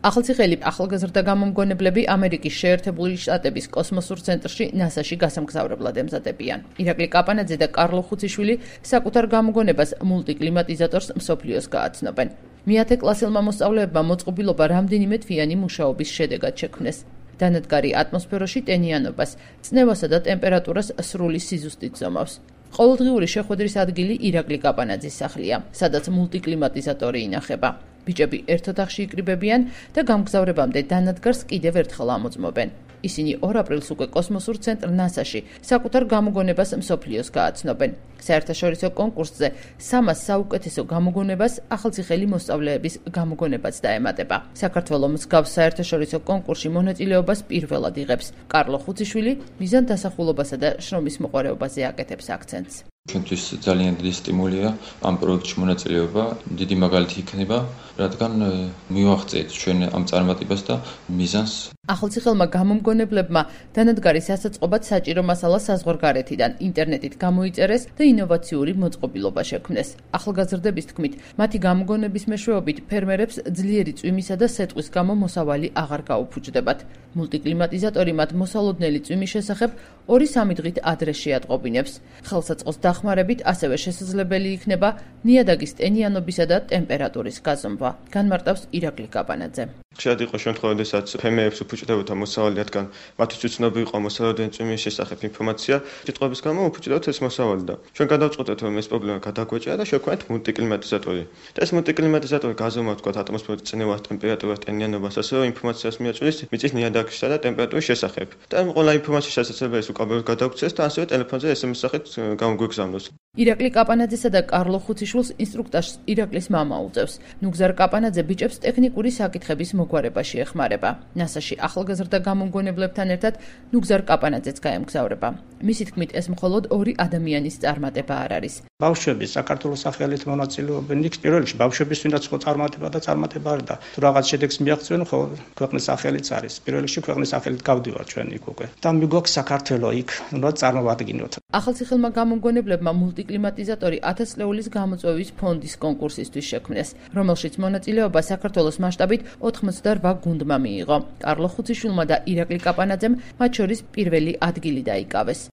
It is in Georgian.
ახალციხელი ახალგაზრდა გამომგონებლები ამერიკის შეერთებული შტატების კოსმოსურ ცენტრში NASA-ში გასამგზავრებლად ემზადებიან. ირაკლი კაპანაძე და კარლო ხუციშვილი საკუთარ გამოგონებას მულტიკლიმატიზატორს მსოფლიოს გააცნობენ. მეათე კლასელმა მოსწავლეებმა მოწყობილობა რამდენიმე თვიანი მუშაობის შედეგად შექმნეს. დანადგარი ატმოსფეროში ტენიანობას, წნევასა და ტემპერატურას სრული სიზუსტით ზომავს. ყოველდღიური შეხვედრის ადგილი ირაკლი კაპანაძის სახლია, სადაც მულტიკლიმატიზატორი ინახება. ბიჭები ერთ ოთახში იკრიბებიან და გამგზავრებამდე დანადგარს კიდევ ერთხელ ამოწმობენ. ისინი 2 აპრილს უკვე კოსმოსურ ცენტრ NASA-ში საკუთარ გამოგონებას მსოფლიოს გააცნობენ. საერთაშორისო კონკურსზე 300 საუკეთესო გამოგონებას ახალციხელი მოსწავლეების გამოგონებაც დაემატება. საქართველოს მსგავს საერთაშორისო კონკურსში მონაწილეობას პირველად იღებს. კარლო ხუციშვილი მიზანდასახულობასა და შრომის მოყვარეობაზე აკეთებს აქცენტს. ჩვენთვის ძალიან დიდი სტიმულია ამ პროექტში მონაწილეობა, დიდი მაგალითი იქნება, რადგან მივაღწევთ ჩვენ ამ წარმატებას და მიზანს. ახალციხელმა გამომგონებლებმა დანადგარის ასაწყობად საჭირო მასალა საზღვარგარეთიდან ინტერნეტით გამოიწერეს და ინოვაციური მოწყობილობა შექმნეს. ახალგაზრდების თქმით, მათი გამოგონების მეშვეობით ფერმერებს ძლიერი წვიმისა და სეტყვის გამო მოსავალი აღარ გაუფუჭდებათ. მულტიკლიმატიზატორი მათ მოსალოდნელი წვიმის შესახებ 2-3 დღით ადრე შეატყობინებს. ხელსაწყოს დახმარებით ასევე შესაძლებელი იქნება ნიადაგის ტენიანობისა და ტემპერატურის გაზომვა. განმარტავს ირაკლი კაპანაძე. ხშირად იყო შემთხვევა, როდესაც ფერმერებს უფუჭდებოდა მოსავალი, რადგან მათთვის უცნობი იყო მოსალოდნელი წვიმის შესახებ ინფორმაცია. სიტყვების გამო უფუჭდებათ ეს მოსავალი და ჩვენ გადავწყვეტეთ, რომ ეს პრობლემა გადაგვეჭირა და შევქმნით მულტიკლიმატიზატორი. და ეს მულტიკლიმატიზატორი გაზომავს თქვათ ატმოსფეროს წნევას, ტემპერატურას, ტენიანობას, ასევე ინფორმაციას მიაჭრეს მიწის ნიადაგისა და ტემპერატურის შესახებ. და ყველა ინფორმაციის შესაძლებელს უკაბელოდ გადავქცეს და ასევე ტელეფონზე SMS სახით გამოგვიგზავნოს. ირაკლი კაპანაძესა და კარლო ხუციშვილს ინსტრუქტაჟს ირაკლის მამა უწევს. ნუგზარ კაპანაძე ბიჭებს ტექნიკური საკითხების მოგვარებაში ეხმარება. NASA-ში ახალგაზრდა გამომგონებლებთან ერთად ნუგზარ კაპანაძეც გაემგზავრება. მისი თქმით, ეს მხოლოდ 2 ადამიანის წარმატება არ არის. ბავშვები საქართველოს სახელით მონაწილეობენ. იქ პირველ რიგში ბავშვების ვინაც ხო წარმატება არის და თუ რაღაც შედეგს მიაღწევენ, ხო ქვეყნის სახელიც არის. პირველ რიგში ქვეყნის სახელით გავდივართ ჩვენ იქ უკვე. და მიგვაქვს საქართველოს იქ, უნდა წარმოვადგინოთ. ახალციხელმა გამომგონებლებმა მულტიკლიმატიზატორი 1000 ლეულის გამოწვევის ფონდის კონკურსისთვის შექმნეს, რომელშიც მონაწილეობა საქართველოს მასშტაბით 88 გუნდმა მიიღო. კარლო ხუციშვილმა და ირაკლი კაპანაძემ მათ შორის პირველი ადგილი დაიკავეს.